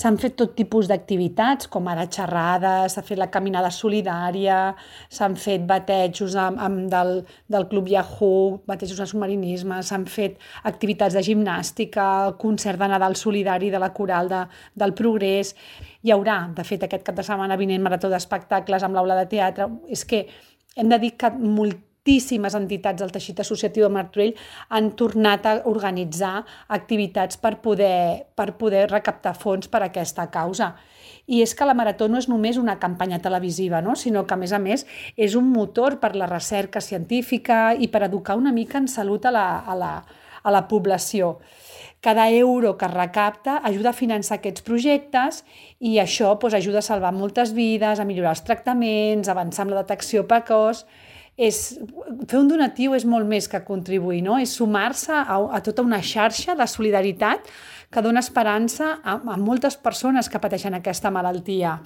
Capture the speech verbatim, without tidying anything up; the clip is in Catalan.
S'han fet tot tipus d'activitats, com ara xerrades, s'ha fet la caminada solidària, s'han fet batejos amb, amb del, del Club Yahoo, batejos de submarinisme, s'han fet activitats de gimnàstica, el concert de Nadal solidari de la Coral de, del Progrés. Hi haurà, de fet, aquest cap de setmana vinent marató d'espectacles amb l'aula de teatre. És que hem de dir que moltíssimes moltíssimes entitats del teixit associatiu de Martorell han tornat a organitzar activitats per poder, per poder recaptar fons per a aquesta causa. I és que la Marató no és només una campanya televisiva, no? Sinó que, a més a més, és un motor per la recerca científica i per educar una mica en salut a la, a la, a la població. Cada euro que es recapta ajuda a finançar aquests projectes i això doncs, ajuda a salvar moltes vides, a millorar els tractaments, a avançar amb la detecció precoç. És, fer un donatiu és molt més que contribuir, no? És sumar-se a, a tota una xarxa de solidaritat que dona esperança a, a moltes persones que pateixen aquesta malaltia.